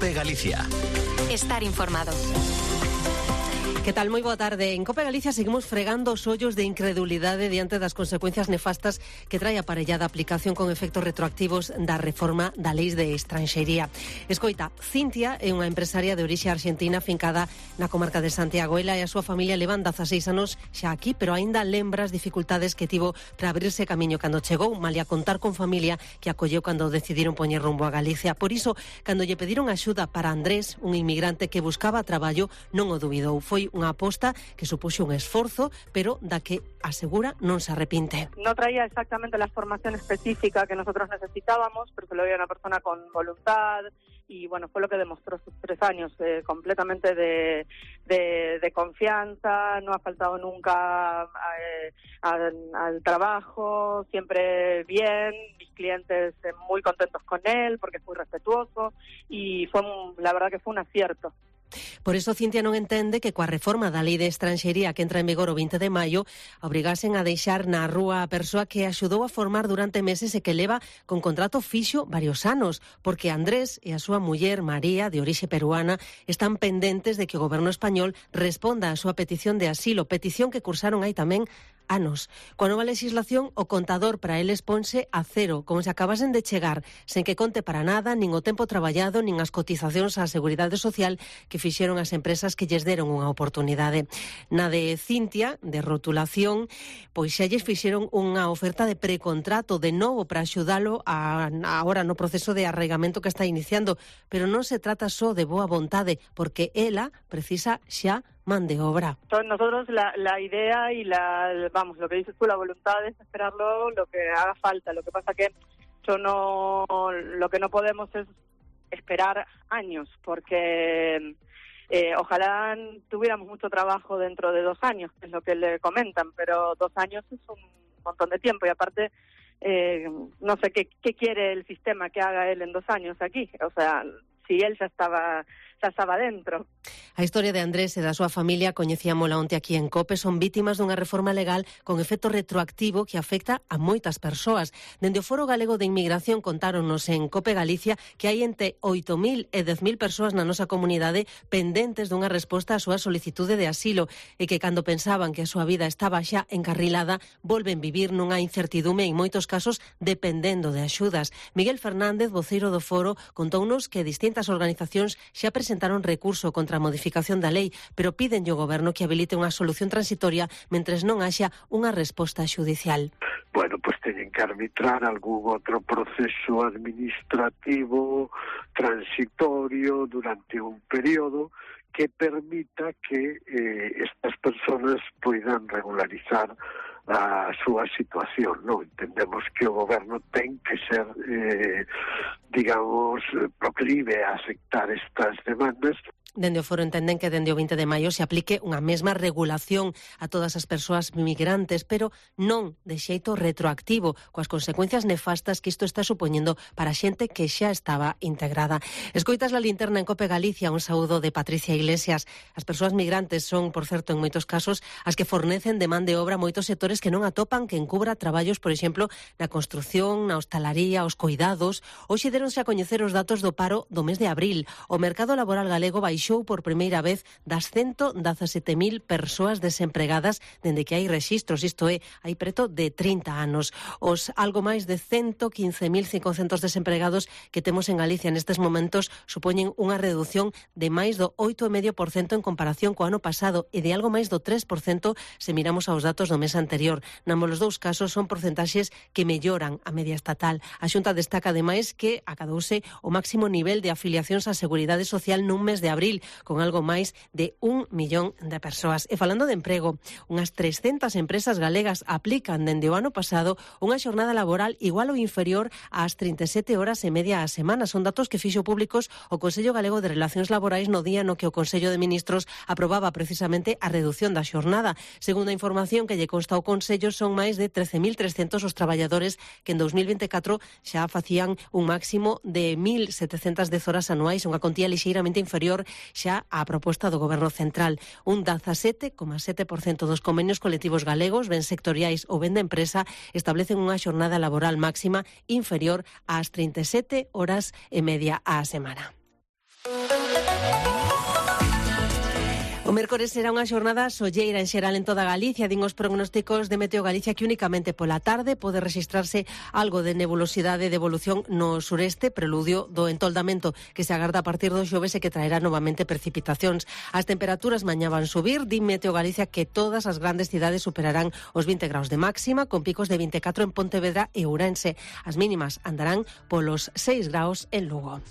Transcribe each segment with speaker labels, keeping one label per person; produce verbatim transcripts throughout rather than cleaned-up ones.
Speaker 1: COPE Galicia.
Speaker 2: Estar informado.
Speaker 3: Que tal? Moi boa tarde. En COPE Galicia seguimos fregando os ollos de incredulidade diante das consecuencias nefastas que trae aparellada a aplicación con efectos retroactivos da reforma da Lei de Estranxería. Escoita, Cintia é unha empresaria de orixe argentina fincada na comarca de Santiago. Ela e a súa familia levan dezaseis anos xa aquí, pero aínda lembra as dificultades que tivo para abrirse camiño cando chegou, malia contar con familia que acolleu cando decidiron poñer rumbo a Galicia. Por iso, cando lle pediron axuda para Andrés, un inmigrante que buscaba traballo, non o dubidou. Foi unha aposta que supuxo un esforzo, pero da que asegura non se arrepinte.
Speaker 4: No traía exactamente la formación específica que nosotros necesitábamos, pero se lo veía una persona con voluntad y bueno, fue lo que demostró sus tres años, eh, completamente de, de, de confianza, no ha faltado nunca eh, al, al trabajo, siempre bien, mis clientes eh, muy contentos con él porque es muy respetuoso y fue un, la verdad que fue un acierto.
Speaker 3: Por iso, Cintia non entende que coa reforma da Lei de Estranxería que entra en vigor o vinte de maio obrigasen a deixar na rúa a persoa que axudou a formar durante meses e que leva con contrato fixo varios anos, porque Andrés e a súa muller María, de orixe peruana, están pendentes de que o goberno español responda á súa petición de asilo, petición que cursaron aí tamén anos. Coa nova legislación, o contador para eles ponse a cero, como se acabasen de chegar, sen que conte para nada, nin o tempo traballado, nin as cotizacións á Seguridade Social que fixeron as empresas que lles deron unha oportunidade. Na de Cintia, de rotulación, pois xa lles fixeron unha oferta de precontrato de novo para axudalo a, agora no proceso de arraigamento que está iniciando, pero non se trata só de boa vontade, porque ela precisa xa man de obra.
Speaker 4: Entonces nosotros la, la idea y la, vamos, lo que dices tú, la voluntad es esperarlo lo que haga falta. Lo que pasa que yo no, lo que no podemos es esperar años, porque eh, ojalá tuviéramos mucho trabajo dentro de dos años, es lo que le comentan, pero dos años es un montón de tiempo y aparte eh, no sé qué, qué quiere el sistema que haga él en dos años aquí, o sea, si él ya estaba xa estaba dentro.
Speaker 3: A historia de Andrés e da súa familia coñecíamola onte aquí en COPE. Son vítimas dunha reforma legal con efecto retroactivo que afecta a moitas persoas. Dende o Foro Galego de Inmigración contáronnos en COPE Galicia que hai entre oito mil e dez mil persoas na nosa comunidade pendentes dunha resposta á súa solicitude de asilo e que cando pensaban que a súa vida estaba xa encarrilada volven vivir nunha incertidume en moitos casos dependendo de axudas. Miguel Fernández, voceiro do Foro, contounos que distintas organizacións xa presentaron recurso contra a modificación da lei, pero pídenlle ao goberno que habilite unha solución transitoria mentres non haxa unha resposta xudicial.
Speaker 5: Bueno, pues teñen que arbitrar algún outro proceso administrativo transitorio durante un período que permita que eh, estas personas poidan regularizar a súa situación, non? Entendemos que o goberno ten que ser, eh, digamos, proclive a aceptar estas demandas.
Speaker 3: Dende o Foro entenden que dende o vinte de maio se aplique unha mesma regulación a todas as persoas migrantes, pero non de xeito retroactivo, coas consecuencias nefastas que isto está supoñendo para a xente que xa estaba integrada. Escoitas la linterna en COPE Galicia, un saúdo de Patricia Iglesias. As persoas migrantes son, por certo, en moitos casos, as que fornecen de man de obra moitos sectores que non atopan que encubra traballos, por exemplo, na construción, na hostalaría, os coidados. Hoxe deronse a coñecer os datos do paro do mes de abril. O mercado laboral galego baixou por primeira vez das ciento dezasete mil persoas desempregadas dende que hai rexistros, isto é, hai preto de trinta anos. Os algo máis de ciento quince mil cincocentos desempregados que temos en Galicia nestes momentos supoñen unha reducción de máis do oito vírgula cinco por cento en comparación co ano pasado e de algo máis do tres por cento se miramos aos datos do mes anterior. Nambos os dous casos son porcentaxes que melloran a media estatal. A Xunta destaca ademais que acadouse o máximo nivel de afiliacións á Seguridade Social nun mes de abril, con algo máis de un millón de persoas. E falando de emprego, unhas trescentas empresas galegas aplican dende o ano pasado unha xornada laboral igual ou inferior ás trinta e sete horas e media á semana. Son datos que fixo públicos o Consello Galego de Relacións Laborais no día no que o Consello de Ministros aprobaba precisamente a reducción da xornada. Segundo a información que lle consta ao Consello, son máis de trece mil trescentos os traballadores que en dos mil vinte e catro xa facían un máximo de mil setecentas dez horas anuais, unha contía lixeiramente inferior xa a proposta do Goberno Central. Un dezasete coma sete por cento dos convenios colectivos galegos, ben sectoriais ou ben de empresa, establecen unha xornada laboral máxima inferior ás trinta e sete horas e media á semana. O mércores será unha xornada solleira en xeral en toda Galicia. Din os prognósticos de Meteo Galicia que únicamente pola tarde pode rexistrarse algo de nebulosidade de evolución no sureste, preludio do entoldamento que se agarda a partir do xoves e que traerá novamente precipitacións. As temperaturas mañá van subir. Din Meteo Galicia que todas as grandes cidades superarán os vinte graus de máxima, con picos de vinte e catro en Pontevedra e Ourense. As mínimas andarán polos seis graus en Lugo.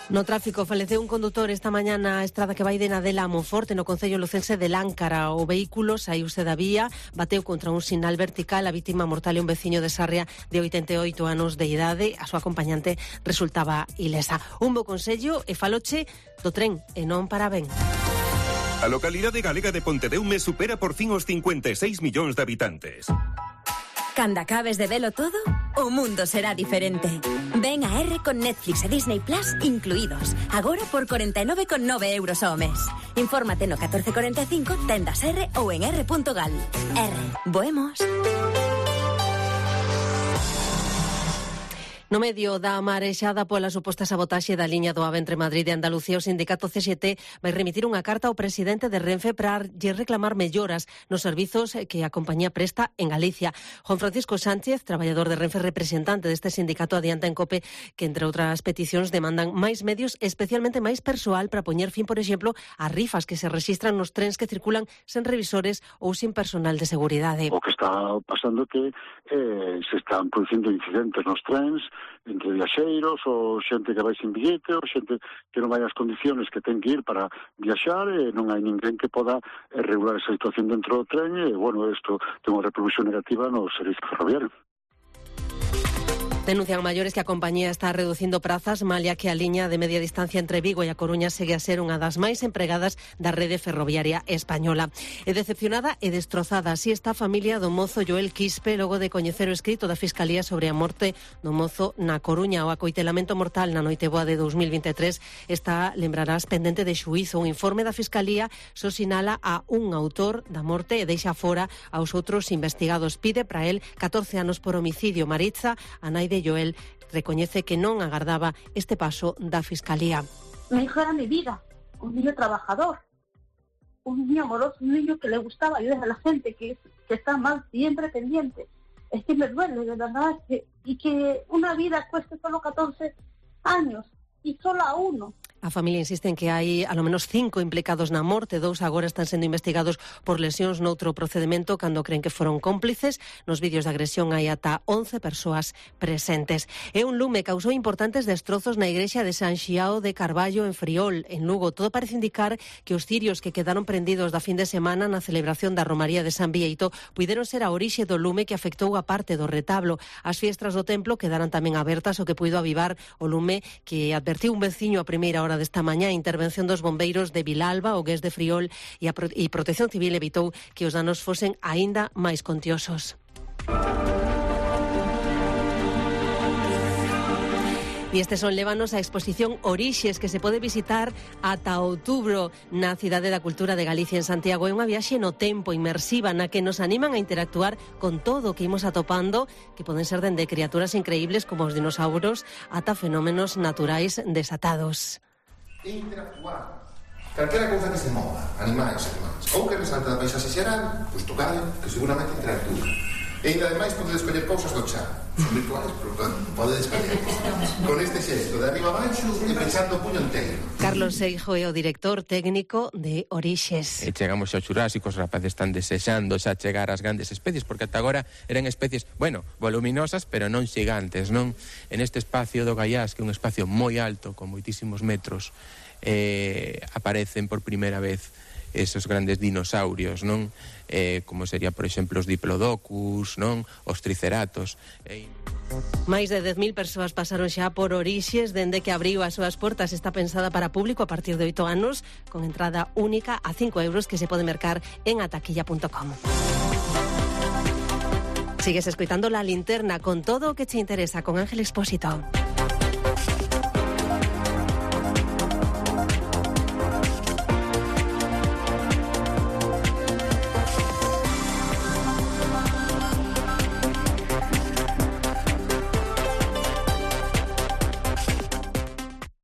Speaker 3: No tráfico, faleceu un condutor esta mañá na estrada que vai de Nadela a Monforte, no concello lucense de Láncara. O vehículo saíuse da vía, bateu contra un sinal vertical. A vítima mortal é un veciño de Sarria de oitenta e oito anos de idade. A súa acompañante resultaba ilesa. Un bo consello e faloche do tren e non para ben.
Speaker 1: A localidade galega de Pontedeume supera por fin os cincuenta e seis millóns de habitantes.
Speaker 2: Cando acabes de velo todo, o mundo será diferente. Ven a R con Netflix e Disney Plus incluídos. Agora por cuarenta e nove con nove euros ao mes. Infórmate no catorce cuarenta e cinco, tendas R ou en r punto gal. R. Boemos.
Speaker 3: No medio da marexada pola suposta sabotaxe da liña do AVE entre Madrid e Andalucía, o sindicato C X T vai remitir unha carta ao presidente de Renfe para lle reclamar melloras nos servizos que a compañía presta en Galicia. Juan Francisco Sánchez, traballador de Renfe, representante deste sindicato, adianta en COPE que, entre outras peticións, demandan máis medios, especialmente máis persoal para poñer fin, por exemplo, a rifas que se rexistran nos trens que circulan sen revisores ou sin personal de seguridade.
Speaker 6: O que está pasando é que eh, se están producindo incidentes nos trens entre viaxeiros ou xente que vai sin billete ou xente que non vai as condiciones que ten que ir para viaxar e non hai ninguén que poda regular esa situación dentro do tren e, bueno, isto ten unha repercusión negativa no servizo ferroviario.
Speaker 3: Denuncian maiores que a compañía está reducindo prazas, malia que a liña de media distancia entre Vigo e a Coruña segue a ser unha das máis empregadas da rede ferroviaria española. E decepcionada e destrozada, así está a familia do mozo Joel Quispe, logo de coñecer o escrito da Fiscalía sobre a morte do mozo na Coruña. O acoitelamento mortal na noite boa de dos mil vinte e tres está, lembrarás, pendente de xuízo. Un informe da Fiscalía só sinala a un autor da morte e deixa fora aos outros investigados. Pide para el catorce anos por homicidio. Maritza, a nai de Joel, recoñece que non agardaba este paso da Fiscalía.
Speaker 7: Mi hijo era mi vida, un niño trabajador, un niño amoroso, un niño que le gustaba ayudar a la gente, que, que está mal, siempre pendiente. Es que me duele, de verdad, que, y que una vida cueste solo catorce años y solo a uno.
Speaker 3: A familia insiste en que hai alo menos cinco implicados na morte, dous agora están sendo investigados por lesións noutro procedemento cando creen que foron cómplices. Nos vídeos de agresión hai ata once persoas presentes. E un lume causou importantes destrozos na igrexa de San Xiao de Carballo en Friol, en Lugo. Todo parece indicar que os cirios que quedaron prendidos da fin de semana na celebración da Romaría de San Bieito puideron ser a orixe do lume que afectou a parte do retablo. As fiestras do templo quedaran tamén abertas, o que puido avivar o lume que advertiu un veciño a primeira hora desta mañá. A intervención dos bombeiros de Vilalba, o Gués de Friol e a Pro- e Protección Civil evitou que os danos fosen aínda máis contiosos. E estes son lévanos á exposición Orixes, que se pode visitar ata outubro na Cidade da Cultura de Galicia, en Santiago. É unha viaxe no tempo inmersiva na que nos animan a interactuar con todo o que imos atopando, que poden ser dende criaturas increíbles como os dinosauros ata fenómenos naturais desatados.
Speaker 8: Interactuar. Calquera cousa que se mova, animais, animais, ou que resalte da paisaxe xeral, pois tocade, que seguramente interactúa. E ainda ademais podedes escoller cousas do chat. Son virtuales, pero podedes escoller. Con este xesto de arriba abaixo e pechando o puño inteiro.
Speaker 3: Carlos Seijo é o director técnico de Orixes.
Speaker 9: E chegamos ao Xurásico, os rapaces están desexando xa chegar ás grandes especies, porque ata agora eran especies, bueno, voluminosas, pero non xigantes, non? En este espacio do Gaiás, que é un espacio moi alto, con moitísimos metros, eh, aparecen por primeira vez esos grandes dinosaurios, non? Eh, como sería, por exemplo, os diplodocus, non? Os triceratos. E...
Speaker 3: Máis de dez mil persoas pasaron xa por Orixes dende que abriu as súas portas. Está pensada para público a partir de oito anos, con entrada única a cinco euros que se pode mercar en ataquilla punto com. Sigues escoitando La Linterna con todo o que te interesa con Ángel Expósito.